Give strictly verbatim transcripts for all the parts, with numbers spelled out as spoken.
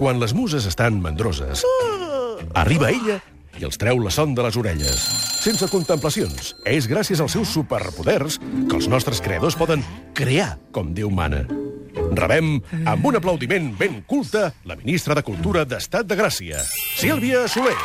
Quan les muses estan mandroses, arriba ella i els treu la son de les orelles. Sense contemplacions, és gràcies als seus superpoders que els nostres creadors poden crear com Déu mana. Rebem, amb un aplaudiment ben culte, la ministra de Cultura d'Estat de Gràcia, Sílvia Soler.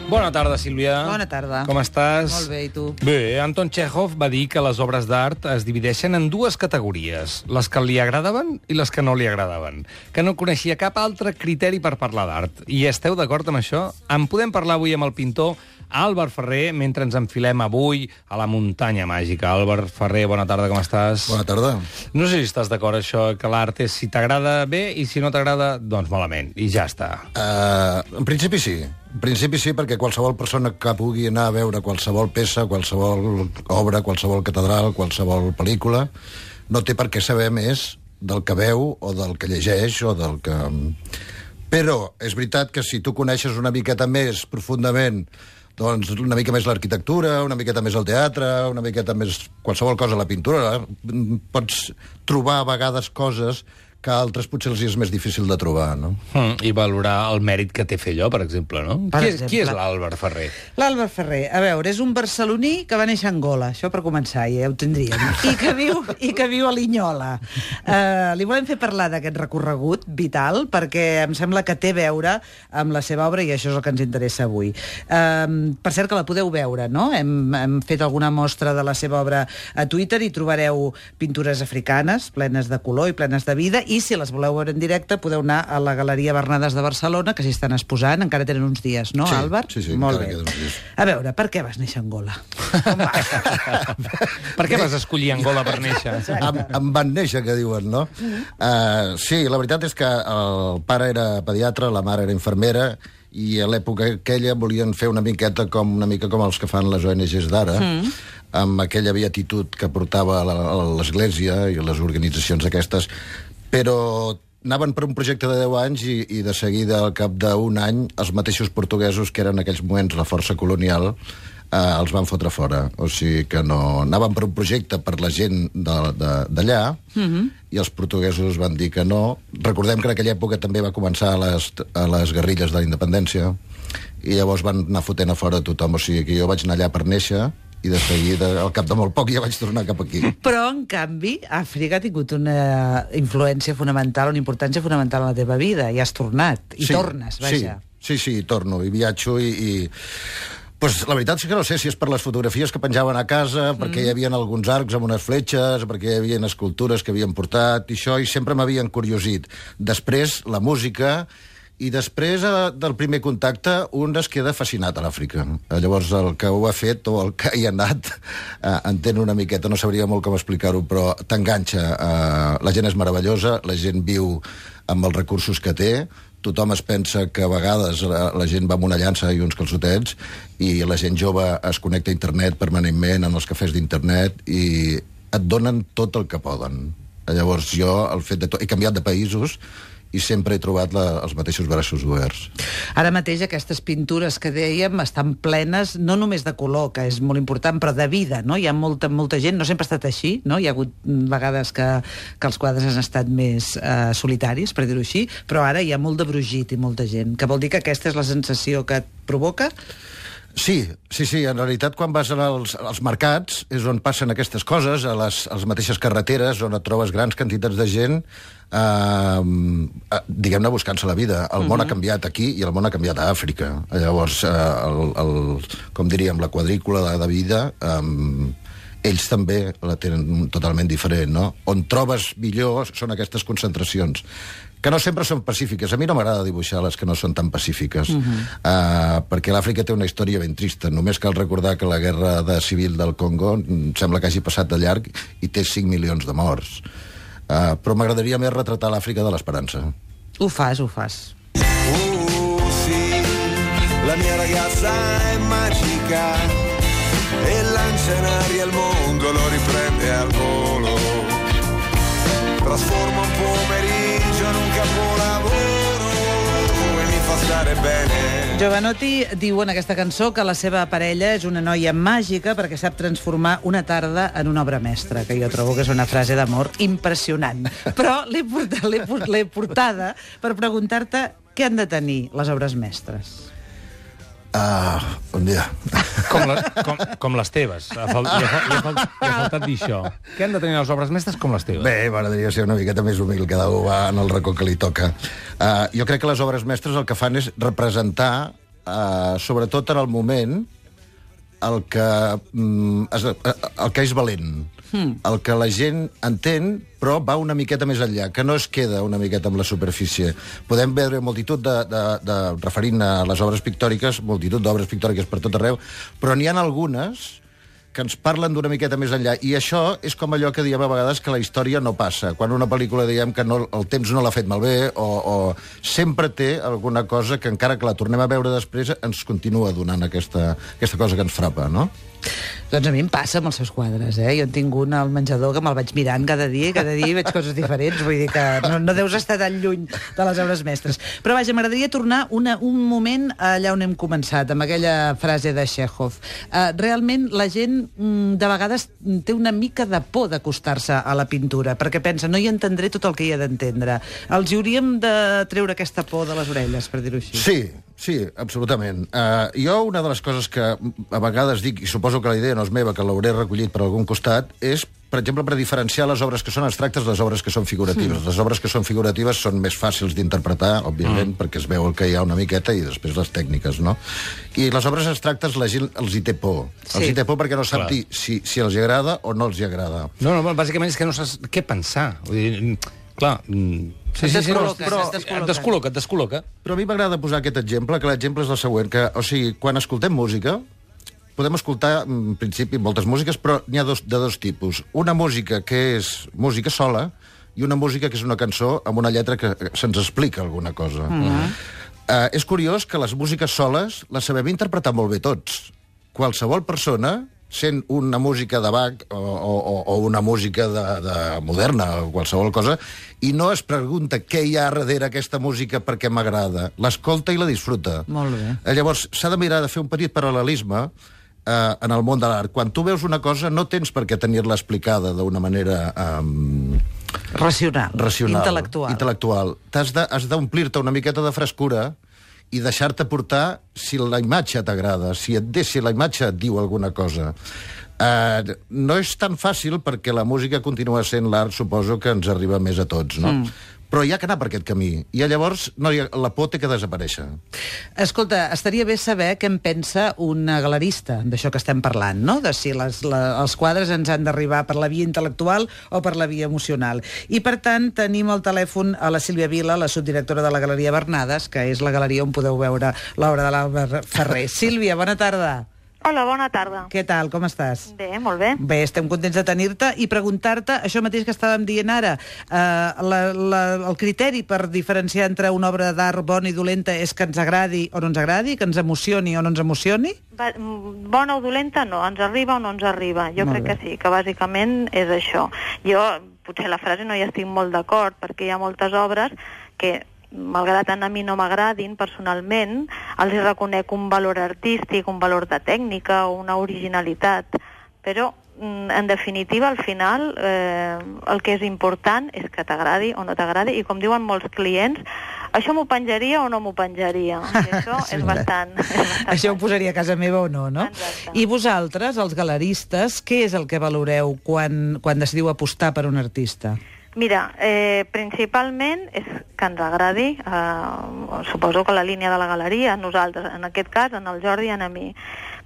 Bona tarda, Sílvia. Bona tarda. Com estàs? Molt bé, i tu? Bé, Anton Chekhov va dir que les obres d'art es divideixen en dues categories, les que li agradaven i les que no li agradaven, que no coneixia cap altre criteri per parlar d'art. I esteu d'acord amb això? En podem parlar avui amb el pintor Àlvar Ferrer, mentre ens enfilem avui a la muntanya màgica. Àlvar Ferrer, bona tarda, com estàs? Bona tarda. No sé si estàs d'acord, això, que l'art és si t'agrada bé i si no t'agrada, doncs malament. I ja està. Uh, en principi sí. En principi sí, perquè qualsevol persona que pugui anar a veure qualsevol peça, qualsevol obra, qualsevol catedral, qualsevol pel·lícula, no té per què saber més del que veu o del que llegeix o del que... Però és veritat que si tu coneixes una miqueta més profundament, doncs una mica més l'arquitectura, una miqueta més el teatre, una miqueta més qualsevol cosa, la pintura, pots trobar a vegades coses que a altres potser els és més difícil de trobar, no? Mm, I valorar el mèrit que té fer allò, per exemple, no? Per qui, exemple. És, qui és l'Àlvar Ferrer? L'Àlvar Ferrer, a veure, és un barceloní que va néixer a Angola, això per començar, ja ho tindríem, i que viu, i que viu a Linyola. Uh, li volem fer parlar d'aquest recorregut vital, perquè em sembla que té a veure amb la seva obra, i això és el que ens interessa avui. Uh, per cert, que la podeu veure, no? Hem, hem fet alguna mostra de la seva obra a Twitter i trobareu pintures africanes, plenes de color i plenes de vida, i si les voleu veure en directe podeu anar a la Galeria Bernades de Barcelona, que s'hi estan exposant, encara tenen uns dies, no, sí, Àlvar? Sí, sí, molt encara bé. queden uns dies. A veure, per què vas néixer a Angola? Per què vas escollir Angola per néixer? Em, em van néixer, que diuen, no? Uh, sí, la veritat és que el pare era pediatre, la mare era infermera, i a l'època aquella volien fer una miqueta com una mica com els que fan les O N Ges d'ara, mm. amb aquella beatitud que portava l'Església i les organitzacions aquestes, però anaven per un projecte de deu anys i, i de seguida, al cap d'un any, els mateixos portuguesos, que eren en aquells moments la força colonial, eh, els van fotre fora. O sigui que no... Anaven per un projecte per la gent d'allà, mm-hmm. i els portuguesos van dir que no. Recordem que en aquella època també va començar a les, a les guerrilles de la independència, i llavors van anar fotent a fora tothom. O sigui que jo vaig anar allà per néixer, i de seguida, al cap de molt poc, ja vaig tornar cap aquí. Però, en canvi, Àfrica ha tingut una influència fonamental, una importància fonamental en la teva vida, i has tornat, i sí, tornes, vaja. Sí, sí, sí, torno, i viatjo, i... i... Pues, la veritat és que no sé si és per les fotografies que penjaven a casa, mm. perquè hi havia alguns arcs amb unes fletxes, perquè hi havia escultures que havien portat, i això, i sempre m'havien curiosit. Després, la música... I després eh, del primer contacte un es queda fascinat a l'Àfrica. Eh, llavors el que ho ha fet o el que hi ha anat eh, entén una miqueta, no sabria molt com explicar-ho, però t'enganxa. Eh, la gent és meravellosa, la gent viu amb els recursos que té, tothom es pensa que a vegades la, la gent va amb una llança i uns calçotets, i la gent jove es connecta a internet permanentment en els cafès d'internet i et donen tot el que poden. Llavors jo, el fet de tot, he canviat de països i sempre he trobat la, els mateixos braços oberts. Ara mateix aquestes pintures que dèiem estan plenes no només de color, que és molt important, però de vida, no? Hi ha molta, molta gent, no sempre ha estat així, no? Hi ha hagut vegades que, que els quadres han estat més eh, solitaris, per dir-ho així, però ara hi ha molt de brogit i molta gent, que vol dir que aquesta és la sensació que et provoca? Sí, sí, sí. En realitat, quan vas als, als mercats és on passen aquestes coses, a les, a les mateixes carreteres, on et trobes grans quantitats de gent, eh, diguem-ne, buscant-se la vida. El món uh-huh. ha canviat aquí i el món ha canviat a Àfrica. Llavors, eh, el, el, com diríem, la quadrícula de, de vida... Eh, ells també la tenen totalment diferent, no? On trobes millor són aquestes concentracions, que no sempre són pacífiques. A mi no m'agrada dibuixar les que no són tan pacífiques, uh-huh. uh, perquè l'Àfrica té una història ben trista. Només cal recordar que la guerra de civil del Congo sembla que hagi passat de llarg i té cinc milions de morts. Uh, però m'agradaria més retratar l'Àfrica de l'esperança. Ho fas, ho fas. Oh, sì, la mia ragazza è magica e lancia in aria il mondo, lo riprende al volo, trasforma un pomeriggio in un capolavoro e mi fa stare bene. Jovanotti diu en aquesta cançó que la seva parella és una noia màgica perquè sap transformar una tarda en una obra mestra, que jo trobo que és una frase d'amor impressionant. Però l'he portat, l'he port- l'he portada per preguntar-te què han de tenir les obres mestres. Uh, bon dia. Com, la, com, com les teves. Ha fal, li, ha, li, ha fal, li ha faltat dir això. Què han de tenir les obres mestres com les teves? Bé, m'agradaria ser una miqueta més humil, cada un va en el racó que li toca. Uh, jo crec que les obres mestres el que fan és representar, uh, sobretot en el moment, el que, mm, es, el que és valent. Hmm. El que la gent entén, però va una miqueta més enllà, que no es queda una miqueta amb la superfície. Podem veure multitud de, de, de referint a les obres pictòriques, multitud d'obres pictòriques per tot arreu, però n'hi ha algunes que ens parlen d'una miqueta més enllà. I això és com allò que diem a vegades que la història no passa. Quan una pel·lícula diem que no, el temps no l'ha fet malbé, o, o sempre té alguna cosa que, encara que la tornem a veure després, ens continua donant aquesta, aquesta cosa que ens frapa, no? Doncs a mi em passa amb els seus quadres, eh? Jo en tinc un al menjador que me'l vaig mirant cada dia i cada dia veig coses diferents, vull dir que no, no deus estar tan lluny de les obres mestres. Però vaja, m'agradaria tornar una, un moment allà on hem començat, amb aquella frase de Chekhov. Uh, realment la gent mm, de vegades té una mica de por d'acostar-se a la pintura, perquè pensa, no hi entendré tot el que hi ha d'entendre. Els hi hauríem de treure aquesta por de les orelles, per dir-ho així. Sí, sí, absolutament. Uh, jo una de les coses que a vegades dic, i suposo que la idea no és meva, que l'hauré recollit per algun costat, és, per exemple, per diferenciar les obres que són abstractes de les obres que són figuratives. Mm. Les obres que són figuratives són més fàcils d'interpretar, òbviament, mm. perquè es veu el que hi ha una miqueta i després les tècniques, no? I les obres abstractes la gent els hi té por. Sí. Els hi té por perquè no sap dir si, si els hi agrada o no els hi agrada. No, no, bàsicament és que no saps què pensar. Vull dir, clar... Sí, sí, sí, no, però et descol·loca, et descol·loca. Però a mi m'agrada posar aquest exemple, que l'exemple és el següent, que, o sigui, quan escoltem música, podem escoltar, en principi, moltes músiques, però n'hi ha dos, de dos tipus. Una música que és música sola i una música que és una cançó amb una lletra que se'ns explica alguna cosa. Mm-hmm. uh, és curiós que les músiques soles les sabem interpretar molt bé tots. Qualsevol persona, sent una música de Bach o, o, o una música de, de moderna o qualsevol cosa, i no es pregunta què hi ha darrere aquesta música perquè m'agrada. L'escolta i la disfruta. Molt bé. Llavors, s'ha de mirar de fer un petit paral·lelisme eh, en el món de l'art. Quan tu veus una cosa, no tens per què tenir-la explicada d'una manera... Um, racional, racional, intel·lectual. intel·lectual. T'has de, has d'omplir-te una miqueta de frescura i deixar-te portar si la imatge t'agrada, si et de, si la imatge et diu alguna cosa. Uh, no és tan fàcil perquè la música continua sent l'art, suposo que ens arriba més a tots, no? Mm. Però hi ha que anar per aquest camí. I llavors no hi ha, la por té que desaparèixer. Escolta, estaria bé saber què en pensa un galerista d'això que estem parlant, no? De si les, la, els quadres ens han d'arribar per la via intel·lectual o per la via emocional. I, per tant, tenim al telèfon a la Sílvia Vila, la subdirectora de la Galeria Bernades, que és la galeria on podeu veure l'obra de l'Àlvar Ferrer. Sílvia, bona tarda. Hola, bona tarda. Què tal, com estàs? Bé, molt bé. Bé, estem contents de tenir-te i preguntar-te això mateix que estàvem dient ara. Uh, la, la, el criteri per diferenciar entre una obra d'art bona i dolenta és que ens agradi o no ens agradi, que ens emocioni o no ens emocioni? Va, bona o dolenta no, ens arriba o no ens arriba. Jo molt crec bé. Que sí, que bàsicament és això. Jo, potser la frase no hi estic molt d'acord, perquè hi ha moltes obres que, malgrat tant a mi no m'agradin personalment, els hi reconec un valor artístic, un valor de tècnica, una originalitat, però en definitiva, al final, eh, el que és important és que t'agradi o no t'agradi, i com diuen molts clients, això m'ho penjaria o no m'ho penjaria. I això sí, és, bastant, és bastant... Això ho posaria a casa meva o no, no? Exacte. I vosaltres, els galeristes, què és el que valoreu quan, quan decidiu apostar per un artista? Mira, eh, principalment és que ens agradi, eh, suposo que la línia de la galeria, nosaltres, en aquest cas, en el Jordi i en a mi,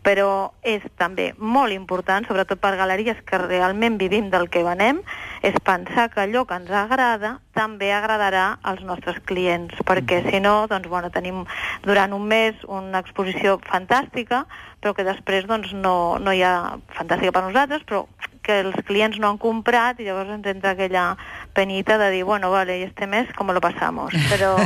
però és també molt important, sobretot per galeries que realment vivim del que venem, és pensar que allò que ens agrada també agradarà als nostres clients, perquè si no, doncs, bueno, tenim durant un mes una exposició fantàstica, però que després doncs, no, no hi ha fantàstica per nosaltres, però que els clients no han comprat i llavors ens entra aquella penita de dir, bueno, vale, y este mes, ¿cómo lo pasamos? Però,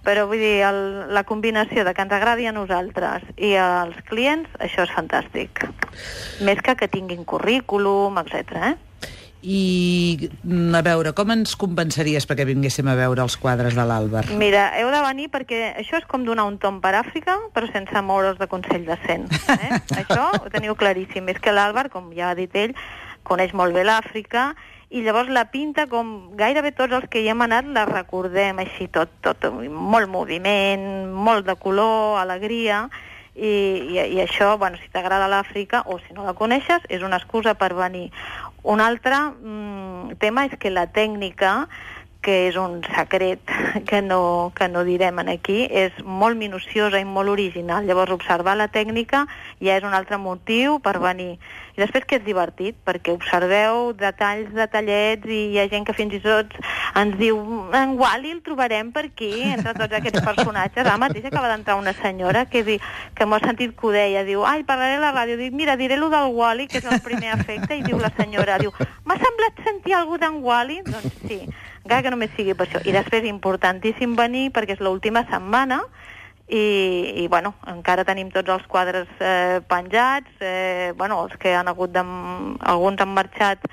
però vull dir, el, la combinació de que ens agradi a nosaltres i als clients, això és fantàstic. Més que que tinguin currículum, etcètera. Eh? I, a veure, com ens compensaries perquè vinguéssim a veure els quadres de l'Àlvar? Mira, heu de venir perquè això és com donar un tomb per Àfrica, però sense moure's de Consell de Cent. Eh? Això ho teniu claríssim. És que l'Àlvar, com ja ha dit ell, coneix molt bé l'Àfrica, i llavors la pinta com gairebé tots els que hi hem anat la recordem així tot, tot molt moviment, molt de color, alegria, i, i, i això, bueno, si t'agrada l'Àfrica o si no la coneixes, és una excusa per venir. Un altre mm, tema és que la tècnica, que és un secret que no, que no direm aquí, és molt minuciosa i molt original. Llavors, observar la tècnica ja és un altre motiu per venir. I després que és divertit, perquè observeu detalls, detallets, i hi ha gent que fins i tot ens diu en Wall-E el trobarem per aquí, entre tots aquests personatges. Ara mateix acaba d'entrar una senyora que, di, que m'ho ha sentit que ho deia, diu, ai, parlaré a la ràdio, dic, mira, diré lo del Wall-E, que és el primer efecte, i diu la senyora, diu, m'ha semblat sentir algú d'en Wall-E? Doncs sí, encara que només sigui per això. I després, importantíssim venir, perquè és l'última setmana, i, i bueno, encara tenim tots els quadres eh, penjats, eh, bueno, els que han hagut de... alguns han marxat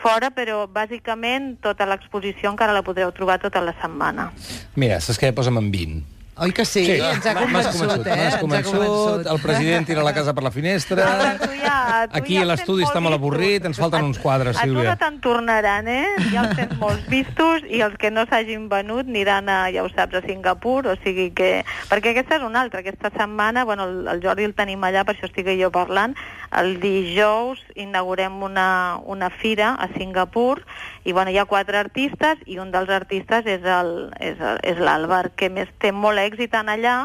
fora, però bàsicament tota l'exposició encara la podreu trobar tota la setmana. Mira, saps què? Posa'm en vint. Oi que sí? Sí. Ens ha M'has convençut, eh? M'has convençut, el president tira la casa per la finestra, Tu ja, tu aquí ja a l'estudi els tens està molt vistos. avorrit, ens falten uns quadres, A tu Sílvia. no te'n tornaran, eh? Ja els tens molts vistos, i els que no s'hagin venut aniran a, ja ho saps, a Singapur, o sigui que... Perquè aquesta és una altra, aquesta setmana, bueno, el, el Jordi el tenim allà, per això estic jo parlant, el dijous inaugurem una, una fira a Singapur, i bueno, hi ha quatre artistes, i un dels artistes és el- és el- és l'Àlvar, que més té molt èxit en allà,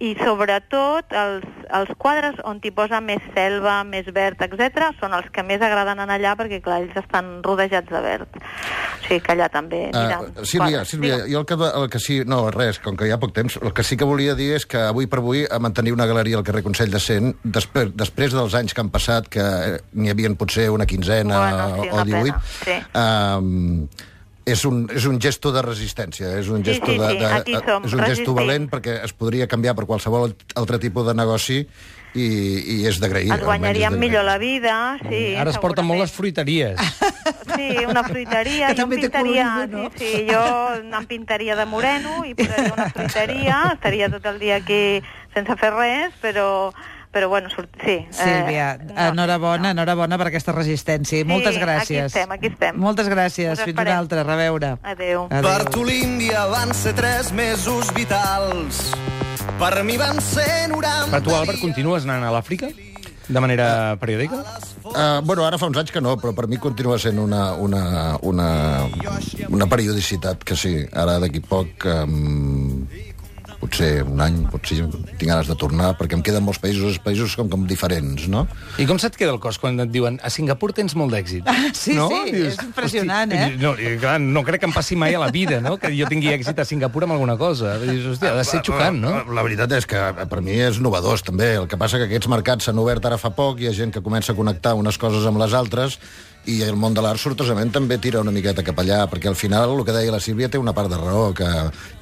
i sobretot els, els quadres on t'hi posa més selva, més verd, etcètera, són els que més agraden en allà, perquè clar, ells estan rodejats de verd. O sigui que allà també aniran. Uh, Sílvia, quadres. Sílvia, Digue'm. jo el que, el que sí... No, res, com que hi ha poc temps, el que sí que volia dir és que avui per avui a mantenir una galeria al carrer Consell de Cent, després, després dels anys que han passat, que n'hi havien potser una quinzena Bueno, sí, o una divuit, pena, sí. um, és un, és un gesto de resistència, és un Sí, gesto sí, de, sí, de, aquí som, és un gesto resistim. valent, perquè es podria canviar per qualsevol altre tipus de negoci, i, i és d'agrair. Ens guanyaríem almenys és millor la d'agrair. vida, sí. Ara es porten molt les segurament. fruiteries. Sí, una fruiteria, Que jo em també té pintaria, colorido, no? sí, sí, jo em pintaria de moreno i posaria una fruiteria, estaria tot el dia aquí sense fer res, però, però bueno, surt, sí. Sílvia, eh, no, enhorabona, no. enhorabona per aquesta resistència. I Sí, moltes aquí gràcies. estem, aquí estem. Moltes gràcies. Us Fins esperem. una altra. A reveure. Adéu. Per tu l'Índia van ser tres mesos vitals. Per mi van ser noranta... Per tu, Albert, continues anant a l'Àfrica? De manera periòdica? Uh, bueno, ara fa uns anys que no, però per mi continua sent una, una, una, una periodicitat que sí. Ara d'aquí poc, um, potser un any, potser tinc ganes de tornar, perquè em queden molts països, els països com, com diferents, no? I com se't queda el cos quan et diuen a Singapur tens molt d'èxit? Sí, no? sí, és impressionant, hosti, eh? No, i, clar, no crec que em passi mai a la vida, no?, que jo tingui èxit a Singapur amb alguna cosa. Dius, hòstia, ha de ser xocant, no? La, la veritat és que per mi és novedós, també. El que passa que aquests mercats s'han obert ara fa poc, hi ha gent que comença a connectar unes coses amb les altres, i el món de l'art, sortosament, també tira una miqueta cap allà, perquè al final, el que deia la Sílvia, té una part de raó, que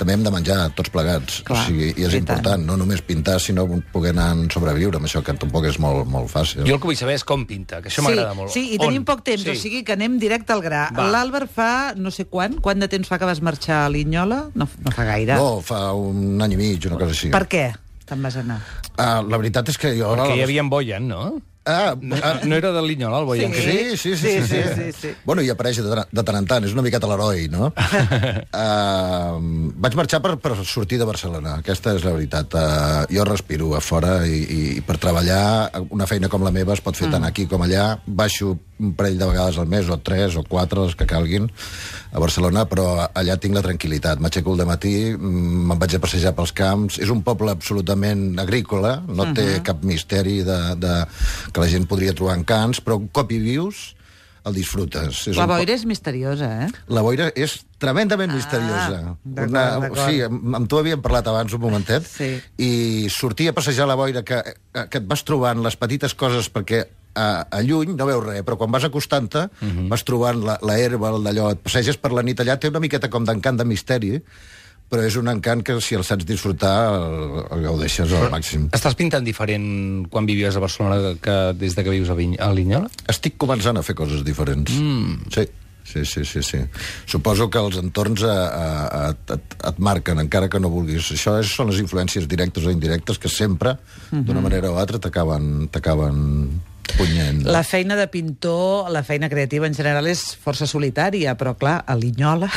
també hem de menjar tots plegats. Clar, o sigui, i és i important, tant. no només pintar, sinó poder anar a sobreviure amb això, que tampoc és molt, molt fàcil. Jo el que vull saber és com pinta, que això Sí, m'agrada molt. sí, i On? tenim poc temps, Sí. o sigui que anem directe al gra. Va. L'Àlvar fa no sé quan, quant de temps fa que vas marxar a Linyola? No, no fa gaire. No, fa un any i mig, una cosa així. Per què te'n vas anar? Uh, la veritat és que jo... Perquè hi havia en Boyan, no? Ah, No, ah, no era de Linyola, el Boyan? Sí. que- Sí, sí, sí, sí, sí, sí, sí. Bueno, i apareix de, de tant en tant, és una miqueta l'heroi, no? uh, vaig marxar per, per sortir de Barcelona, aquesta és la veritat. Uh, jo respiro a fora i, i, i per treballar una feina com la meva es pot fer mm. tant aquí com allà. Baixo un parell de vegades al mes, o tres o quatre, les que calguin, a Barcelona, però allà tinc la tranquil·litat. M'aixeco al dematí, me'n vaig a passejar pels camps. És un poble absolutament agrícola, no té uh -huh. cap misteri de, de, que la gent podria trobar encants, però un cop hi vius, el disfrutes. És La un po- boira és misteriosa, eh? La boira és tremendament Ah, misteriosa. d'acord, d'acord. Sí, amb, amb tu havíem parlat abans un momentet, Sí. i sortir a passejar la boira, que, que et vas trobant les petites coses, perquè a, a lluny no veus res, però quan vas acostant-te uh -huh. vas trobant la, la herba, d'allò, et passeges per la nit allà, té una miqueta com d'encant de misteri, però és un encant que si el saps disfrutar el, el gaudeixes al màxim. Estàs pintant diferent quan vivies a Barcelona que des de que vius a, Viny a Linyola? Estic començant a fer coses diferents. Mm. Sí. Sí, sí, sí, sí. Suposo que els entorns a, a, a, et, et marquen, encara que no vulguis. Això és, són les influències directes o indirectes que sempre, mm-hmm. d'una manera o altra, t'acaben t'acaben punyent. La feina de pintor, la feina creativa en general és força solitària, però clar, a Linyola...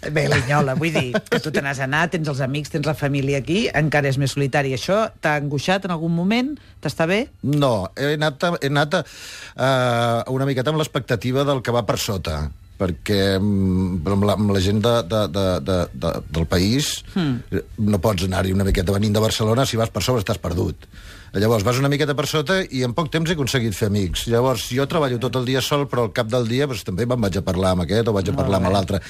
Bé, a Linyola, vull dir, que tu te n'has anat, tens els amics, tens la família aquí, encara és més solitari. Això t'ha angoixat en algun moment? T'està bé? No, he anat, a, he anat a, uh, una miqueta amb l'expectativa del que va per sota, perquè amb la, amb la gent de, de, de, de, de, del país mm. no pots anar-hi una miqueta venint de Barcelona, si vas per sobre estàs perdut. Llavors vas una miqueta per sota i en poc temps he aconseguit fer amics. Llavors jo treballo tot el dia sol, però al cap del dia doncs, també me'n vaig a parlar amb aquest o vaig a parlar amb l'altre.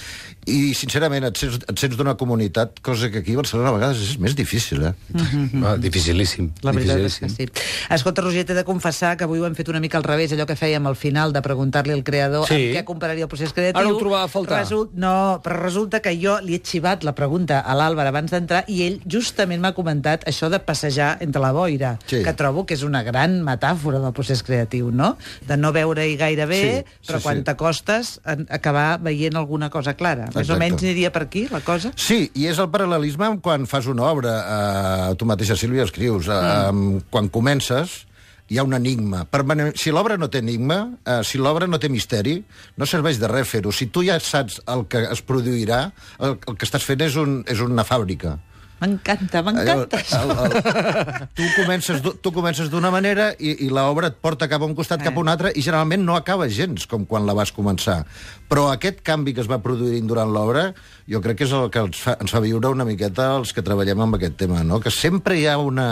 I sincerament et sents, et sents d'una comunitat, cosa que aquí a Barcelona a vegades és més difícil, eh? Mm-hmm. Ah, dificilíssim. La veritat dificilíssim. és que sí. Escolta, Roger, t'he de confessar que avui ho hem fet una mica al revés, allò que fèiem al final de preguntar-li al creador sí. amb què compararia el procés creatiu. Ara ho trobava a faltar. Result... No, però resulta que jo li he xivat la pregunta a l'Àlvar abans d'entrar i ell justament m'ha comentat això de passejar entre la boira, sí. que trobo que és una gran metàfora del procés creatiu, no? De no veure-hi gaire bé, sí, però sí, quan sí. t'acostes a acabar veient alguna cosa clara. Més Exacte. o menys aniria per aquí, la cosa? Sí, i és el paral·lelisme quan fas una obra, eh, tu mateixa, Sílvia, escrius, eh, mm. quan comences hi ha un enigma. Permanent... Si l'obra no té enigma, eh, si l'obra no té misteri, no serveix de res fer-ho. Si tu ja saps el que es produirà, el, el que estàs fent és, un, és una fàbrica. M'encanta, m'encanta. El, el, el, tu comences, tu comences d'una manera i, i l'obra et porta cap a un costat, eh. cap a un altre, i generalment no acaba gens com quan la vas començar. Però aquest canvi que es va produint durant l'obra, jo crec que és el que ens fa, ens fa viure una miqueta els que treballem amb aquest tema, no? Que sempre hi ha una...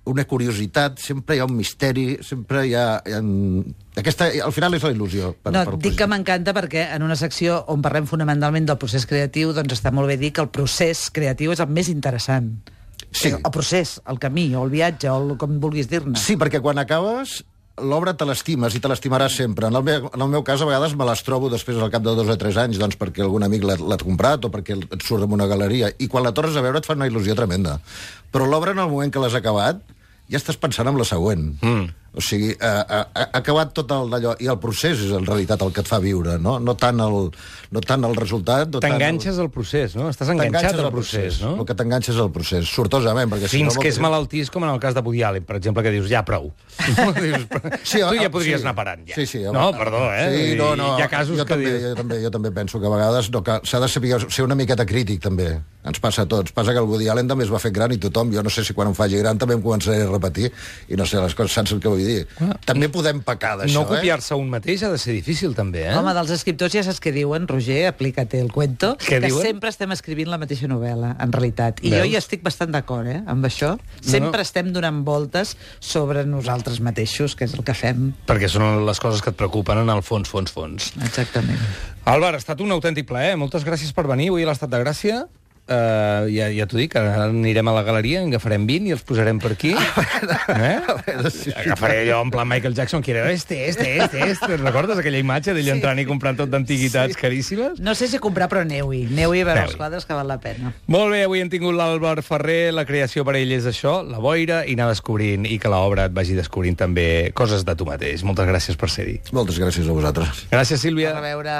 una curiositat, sempre hi ha un misteri, sempre hi ha... Hi ha... Aquesta, al final és la il·lusió. Per, no, per dic que m'encanta perquè en una secció on parlem fonamentalment del procés creatiu, doncs està molt bé dir que el procés creatiu és el més interessant. Sí. El procés, el camí, o el viatge, o el, com vulguis dir-ne. Sí, perquè quan acabes, l'obra te l'estimes i te l'estimaràs sempre. En el, meu, en el meu cas, a vegades me les trobo després al cap de dos o tres anys, doncs perquè algun amic l'ha comprat o perquè et surt en una galeria, i quan la tornes a veure et fa una il·lusió tremenda. Però l'obra, en el moment que l'has acabat, ja estàs pensant en la següent. Mm. O sigui, ha, ha, ha acabat tot el d'allò, i el procés és en realitat el que et fa viure, no, no, tant, el, no tant el resultat... No t'enganxes al procés, no? Estàs enganxat al procés, procés, no? El que t'enganxes al procés, sortosament. Perquè Fins si no, que és malaltís, com en el cas de Woody Allen, per exemple, que dius, ja, prou. dius, sí, tu ja podries sí, anar parant, ja. Sí, sí, home, no, perdó, eh? Sí, no, no, hi ha casos jo que també, dius... jo, també, jo també penso que a vegades no, s'ha de saber ser una miqueta crític, també. Ens passa a tots. Passa que el Woody Allen també es va fer gran i tothom, jo no sé si quan em faci gran també em començaré a repetir, i no sé, les coses, saps el que vull dir? Ah, també podem pecar d'això, no copiar-se eh? un mateix ha de ser difícil, també, eh? Home, dels escriptors ja saps què diuen, Roger, aplica-te el cuento, què que diuen? Sempre estem escrivint la mateixa novel·la, en realitat. I Veus? jo hi estic bastant d'acord, eh, amb això. Sempre no, no. estem donant voltes sobre nosaltres mateixos, que és el que fem. Perquè són les coses que et preocupen en el fons, fons, fons. Exactament. Àlvar, ha estat un autèntic plaer. Moltes gràcies per venir avui a l'Estat de Gràcia. Uh, ja, ja t'ho dic, ara anirem a la galeria, en agafarem vint i els posarem per aquí. Eh? Agafaré allò en plan Michael Jackson, que era este, este, este, este. Recordes aquella imatge d'ell sí. entrant i comprant tot d'antiguitats sí. caríssimes? No sé si comprar, però aneu-hi. Aneu-hi a veure els quadres, que val la pena. Molt bé, avui hem tingut l'Àlvar Ferrer. La creació per ell és això, la boira, i anar descobrint, i que l'obra et vagi descobrint també coses de tu mateix. Moltes gràcies per ser-hi. Moltes gràcies a vosaltres. Gràcies, Sílvia. A reveure.